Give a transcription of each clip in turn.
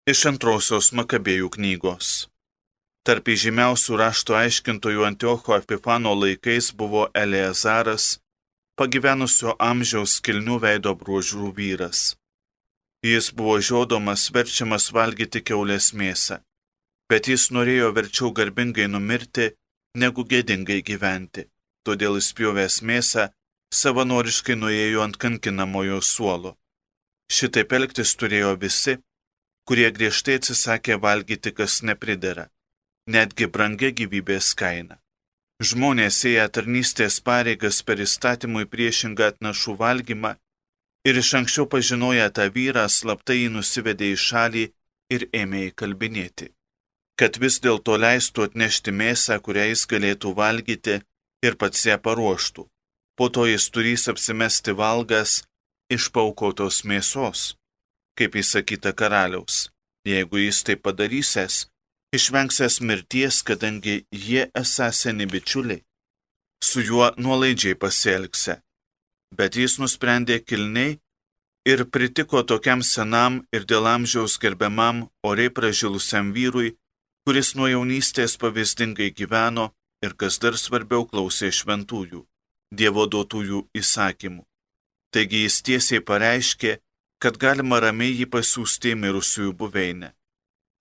Iš antrosios Makabėjų knygos. Tarp įžymiausių rašto aiškintojų Antiocho Epifano laikais buvo Eleazaras, pagyvenusio amžiaus kilnių veido bruožų vyras. Jis buvo žiodomas, verčiamas valgyti kiaulės mėsą, bet jis norėjo verčiau garbingai numirti, negu gėdingai gyventi. Todėl įspjovęs mėsą, savanoriškai nuėjo ant kankinamojo suolo. Šitaip elgtis turėjo visi, kurie griežtai atsisakė valgyti, kas nepridera, netgi brangia gyvybės kaina. Žmonės ėję tarnystės pareigas per įstatymui priešingą atnašų valgymą ir iš anksčiau pažinoję tą vyrą, slaptai jį nusivedė į šalį ir ėmė įkalbinėti, kad vis dėlto leistų atnešti mėsą, kurią jis galėtų valgyti ir pats ją paruoštų. Po to jis turės apsimesti valgas iš paaukotos mėsos, kaip įsakyta karaliaus. Jeigu jis tai padarysęs, išvengsęs mirties, kadangi jie esą seni bičiuliai, su juo nuolaidžiai pasielgse. Bet jis nusprendė kilniai ir pritiko tokiam senam ir dėl amžiaus gerbiamam oriai pražilusiam vyrui, kuris nuo jaunystės pavyzdingai gyveno ir, kas dar svarbiau, klausė šventųjų, Dievo duotųjų įsakymų. Taigi jis tiesiai pareiškė, kad galima ramiai jį pasiųsti į mirusiųjų buveinę.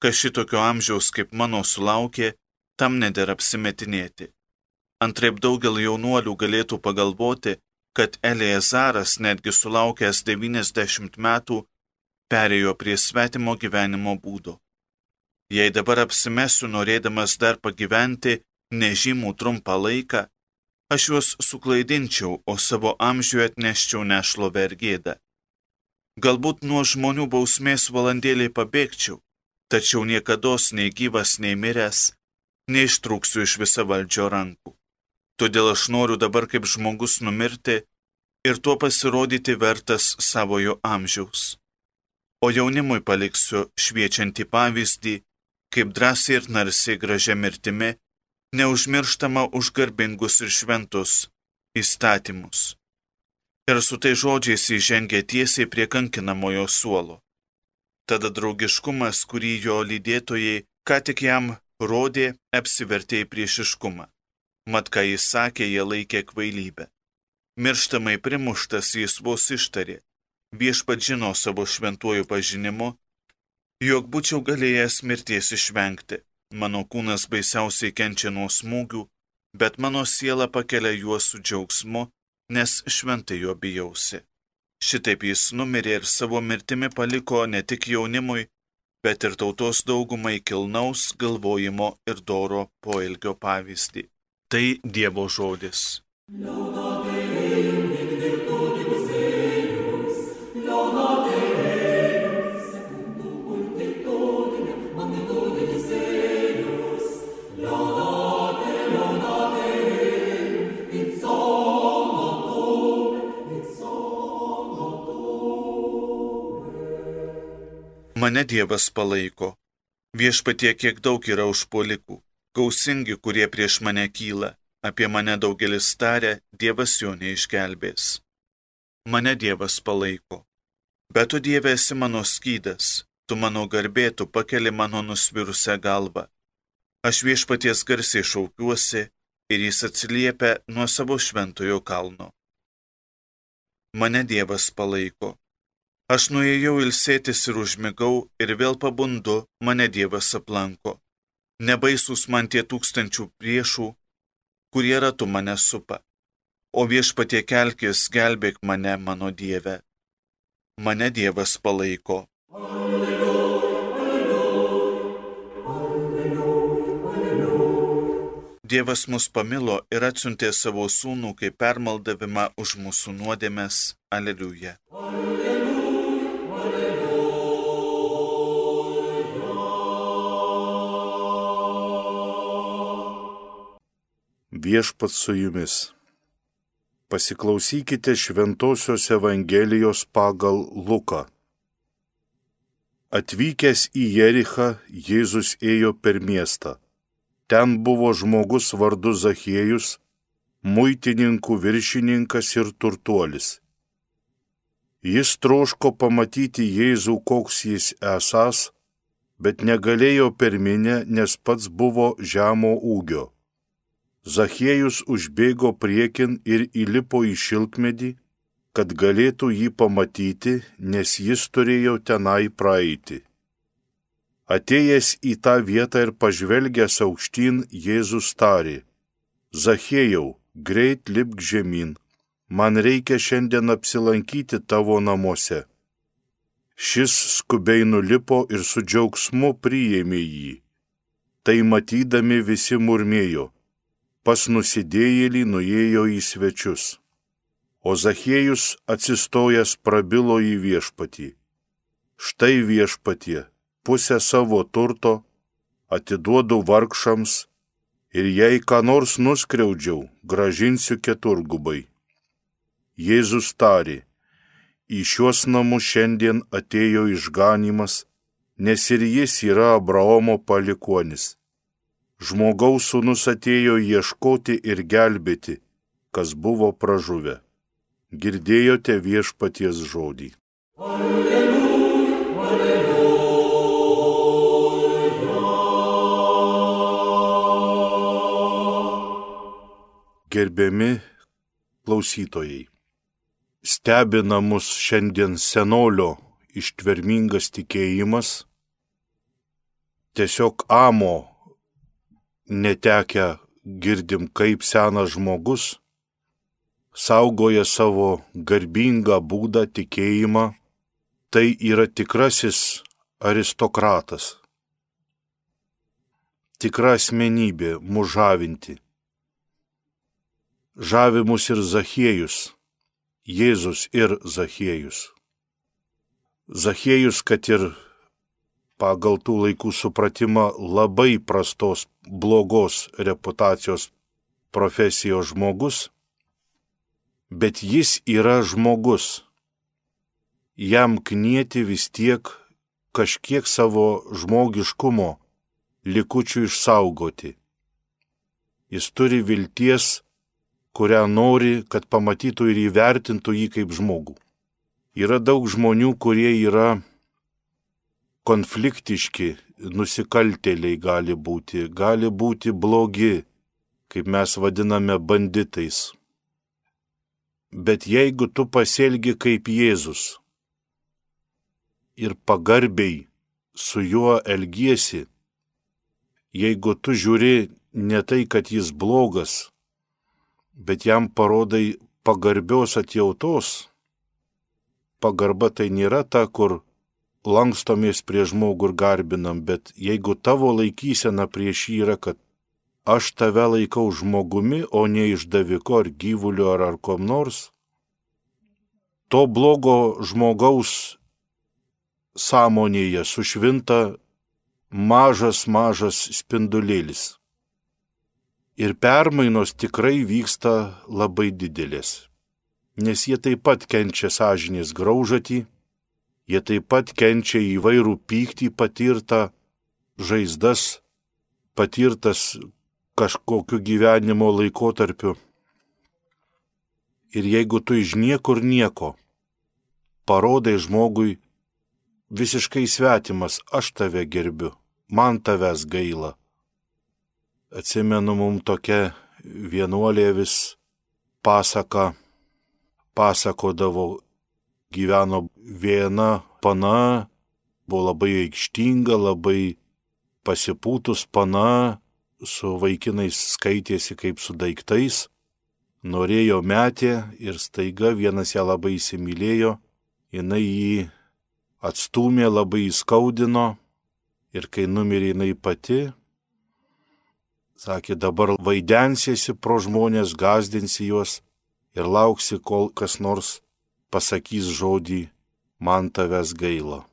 Kas šitokio amžiaus kaip mano sulaukė, tam nedera apsimetinėti. Antraip daugelį jaunuolių galėtų pagalvoti, kad Eleazaras, netgi sulaukęs 90 metų, perėjo prie svetimo gyvenimo būdo. Jei dabar apsimesiu, norėdamas dar pagyventi nežymų trumpą laiką, aš juos suklaidinčiau, o savo amžiuje atneščiau nešlovę ir gėdą. Galbūt nuo žmonių bausmės valandėliai pabėgčiau, tačiau niekados nei gyvas, nei miręs neištrūksiu iš visavaldžio rankų. Todėl aš noriu dabar kaip žmogus numirti ir tuo pasirodyti vertas savojo amžiaus. O jaunimui paliksiu šviečiantį pavyzdį, kaip drąsiai ir narsiai gražia mirtimi, neužmirštama už garbingus ir šventus įstatymus. Ir su tai žodžiais įžengė tiesiai prie kankinamojo suolo. Tada draugiškumas, kurį jo lydėtojai ką tik jam rodė, apsivertė į priešiškumą. Mat, ką jis sakė, jie laikė kvailybę. Mirštamai primuštas jis vos ištarė, viešpat žino savo šventuoju pažinimu, jog būčiau galėjęs mirties išvengti. Mano kūnas baisiausiai kenčia nuo smūgių, bet mano siela pakelia juos su džiaugsmu, nes šventai jo bijausi. Šitaip jis numirė ir savo mirtimi paliko ne tik jaunimui, bet ir tautos daugumai kilnaus galvojimo ir doro poelgio pavyzdį. Tai Dievo žodis. Mane Dievas palaiko. Viešpatie, kiek daug yra užpuolikų, gausingi, kurie prieš mane kyla. Apie mane daugelis taria, Dievas jo neišgelbės. Mane Dievas palaiko. Bet tu, Dieve, esi mano skydas, tu mano garbė, tu pakeli mano nusvirusią galvą. Aš viešpaties garsiai šaukiuosi ir jis atsiliepia nuo savo šventojo kalno. Mane Dievas palaiko. Aš nuėjau ilsėtis ir užmigau ir vėl pabundu, mane Dievas aplanko. Nebaisus man tie tūkstančių priešų, kurie ratu mane supa. O viešpatie kelkis, gelbėk mane, mano Dieve. Mane Dievas palaiko. Alleluja, alleluja, alleluja. Dievas mus pamilo ir atsiuntė savo sūnų kaip permaldavimą už mūsų nuodėmes. Aleliuja. Viešpats su jumis. Pasiklausykite Šventosios Evangelijos pagal Luką. Atvykęs į Jerichą, Jėzus ėjo per miestą. Ten buvo žmogus vardu Zachiejus, muitininkų viršininkas ir turtuolis. Jis troško pamatyti Jėzų, koks jis esąs, bet negalėjo per minią, nes pats buvo žemo ūgio. Zachiejus užbėgo priekin ir įlipo į šilkmedį, kad galėtų jį pamatyti, nes jis turėjo tenai praeiti. Atėjęs į tą vietą ir pažvelgęs aukštyn, Jėzus tarė: Zachiejau, greit lipk žemyn, man reikia šiandien apsilankyti tavo namuose. Šis skubiai nulipo ir su džiaugsmu priėmė jį. Tai matydami visi murmėjo: pas nusidėjėlį nuėjo į svečius. O Zachiejus atsistojęs prabilo į viešpatį: štai viešpatie, pusę savo turto atiduodu vargšams ir jei ką nors nuskriaudžiau, gražinsiu keturgubai. Jėzus tarė: į šiuos namus šiandien atėjo išganymas, nes ir jis yra Abraomo palikuonis. Žmogaus sūnus atėjo ieškoti ir gelbėti, kas buvo pražuvę. Girdėjote viešpaties žodį. Alleluja, alleluja. Gerbiami klausytojai, stebina mus šiandien senolio ištvermingas tikėjimas, tiesiog amo netekę girdim, kaip senas žmogus saugoja savo garbingą būdą tikėjimą, tai yra tikrasis aristokratas, tikra asmenybė mus žavinti. Žavi mus ir Zachiejus, Jėzus ir Zachiejus. Zachiejus, kad ir pagal tų laikų supratimą labai prastos, blogos reputacijos profesijos žmogus, bet jis yra žmogus. Jam knieti vis tiek kažkiek savo žmogiškumo likučių išsaugoti. Jis turi vilties, kurią nori, kad pamatytų ir įvertintų jį kaip žmogų. Yra daug žmonių, kurie yra konfliktiški, nusikaltėliai gali būti blogi, kaip mes vadiname banditais. Bet jeigu tu pasielgi kaip Jėzus ir pagarbiai su juo elgiesi, jeigu tu žiūri ne tai, kad jis blogas, bet jam parodai pagarbios atjautos. Pagarba tai nėra ta, kur lankstomės prie žmogų ir garbinam, bet jeigu tavo laikysena prieš jį yra, kad aš tave laikau žmogumi, o ne išdaviku ar gyvuliu ar kom nors, to blogo žmogaus sąmonėje sušvinta mažas spindulėlis. Ir permainos tikrai vyksta labai didelės, nes jie taip pat kenčia sąžinės graužatį, jie taip pat kenčia įvairų pyktį patirtą, žaizdas, patirtas kažkokiu gyvenimo laikotarpiu. Ir jeigu tu iš niekur nieko parodai žmogui visiškai svetimas: aš tave gerbiu, man tavęs gaila. Atsimenu, mum tokia vienuolė vis pasakodavo, gyveno viena pana, buvo labai aikštinga, labai pasipūtus pana, su vaikinais skaitėsi kaip su daiktais, norėjo metė ir staiga vienas ją labai įsimylėjo, jinai jį atstūmė, labai įskaudino ir kai numirė jinai pati, sakė, dabar vaidensiesi pro žmonės, gąsdinsi juos ir lauksi, kol kas nors pasakys žodį: man tavęs gaila.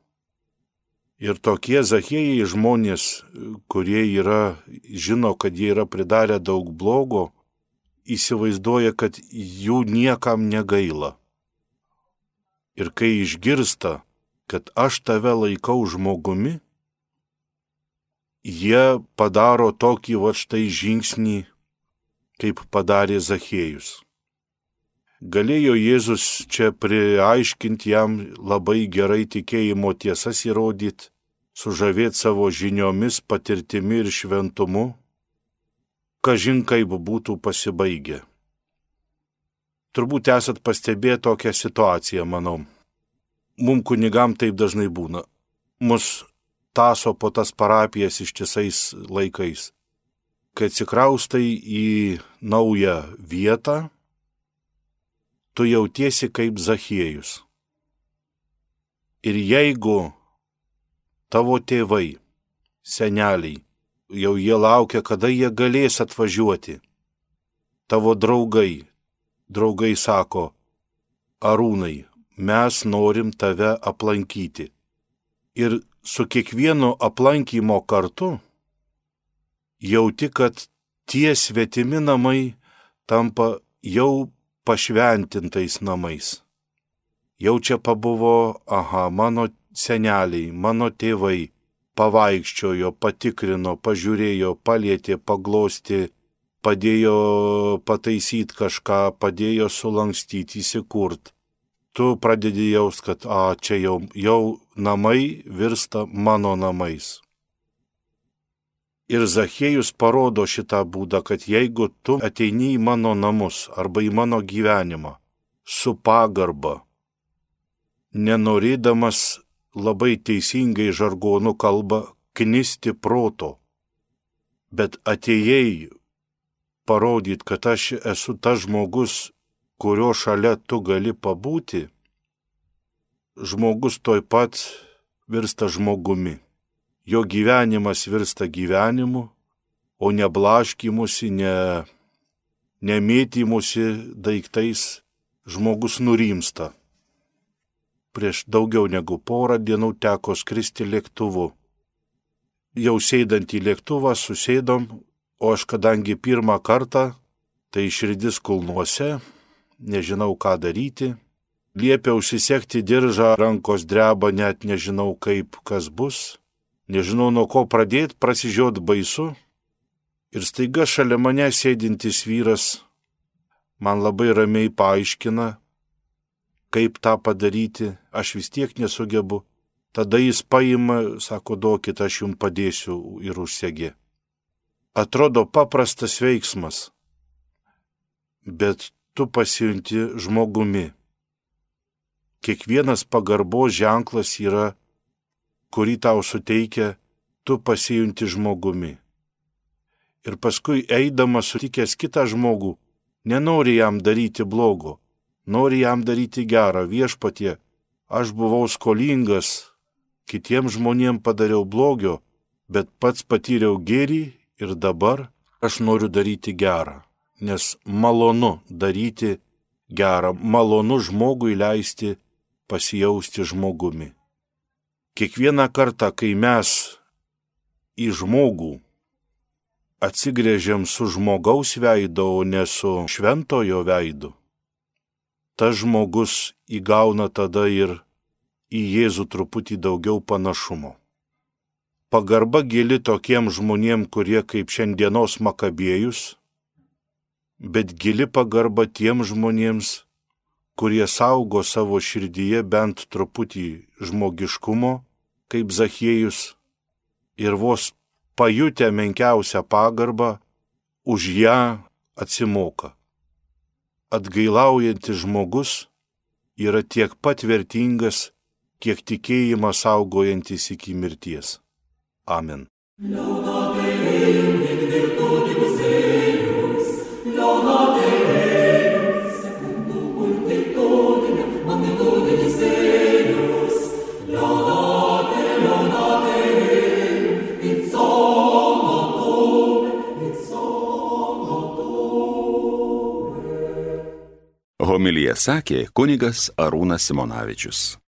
Ir tokie Zachiejai žmonės, kurie žino, kad jie yra pridarę daug blogo, įsivaizduoja, kad jų niekam negaila. Ir kai išgirsta, kad aš tave laikau žmogumi, jie padaro tokį štai žingsnį, kaip padarė Zachiejus. Galėjo Jėzus čia priaiškinti jam labai gerai tikėjimo tiesas įrodyti, sužavėti savo žiniomis, patirtimi ir šventumu, kažin kaip būtų pasibaigę. Turbūt esat pastebėję tokią situaciją, manau. Mums kunigam taip dažnai būna. Mus taso po tas parapijas ištisais laikais. Kai atsikraustai į naują vietą, tu jautiesi kaip Zachiejus. Ir jeigu tavo tėvai, seneliai, jau jie laukia, kada jie galės atvažiuoti, tavo draugai sako, Arūnai, mes norim tave aplankyti. Ir su kiekvienu aplankymo kartu jauti, kad tie svetimi namai tampa jau pašventintais namais. Jau čia pabuvo, mano seneliai, mano tėvai pavaikščiojo, patikrino, pažiūrėjo, palietė, paglosti, padėjo pataisyti kažką, padėjo sulankstyti, įsikurt. Tu pradedi jaust, kad čia jau namai virsta mano namais. Ir Zachiejus parodo šitą būdą, kad jeigu tu ateini į mano namus arba į mano gyvenimą su pagarba, nenorėdamas labai teisingai žargonu kalba knisti proto, bet atėjai parodyt, kad aš esu tas žmogus, kurio šalia tu gali pabūti, žmogus toj pat virsta žmogumi. Jo gyvenimas virsta gyvenimu, o ne blaškymusi, nemėtymusi daiktais, žmogus nurimsta. Prieš daugiau negu porą dienų teko skristi lėktuvu. Jau sėdant į lėktuvą susėdom, o aš kadangi pirmą kartą, tai širdis kulnuose, nežinau ką daryti, liepiau užsisekti diržą, rankos dreba, net nežinau kaip kas bus, nežinau nuo ko pradėti, prasižiot baisu. Ir staiga šalia mane sėdintis vyras man labai ramiai paaiškina, kaip tą padaryti, aš vis tiek nesugebu. Tada jis paima, sako, duokit, aš jums padėsiu ir užsegė. Atrodo paprastas veiksmas, bet tu pasijunti žmogumi. Kiekvienas pagarbos ženklas yra, kurį tau suteikia, tu pasijunti žmogumi. Ir paskui eidamas sutikęs kitą žmogų, nenori jam daryti blogo, nori jam daryti gerą. Viešpatie, aš buvau skolingas, kitiems žmonėms padariau blogio, bet pats patyriau gėrį ir dabar aš noriu daryti gerą, nes malonu daryti gerą, malonu žmogui leisti pasijausti žmogumi. Kiekvieną kartą, kai mes į žmogų atsigręžiam su žmogaus veidu, o ne su šventojo veidu, tas žmogus įgauna tada ir į Jėzų truputį daugiau panašumo. Pagarba gili tokiem žmonėm, kurie kaip šiandienos Makabėjus, bet gili pagarba tiem žmonėms, kurie saugo savo širdyje bent truputį žmogiškumo, kaip Zachiejus, ir vos pajutę menkiausią pagarbą, už ją atsimoka. Atgailaujantis žmogus yra tiek pat vertingas, kiek tikėjimą saugojantis iki mirties. Amen. Homiliją sakė kunigas Arūnas Simonavičius.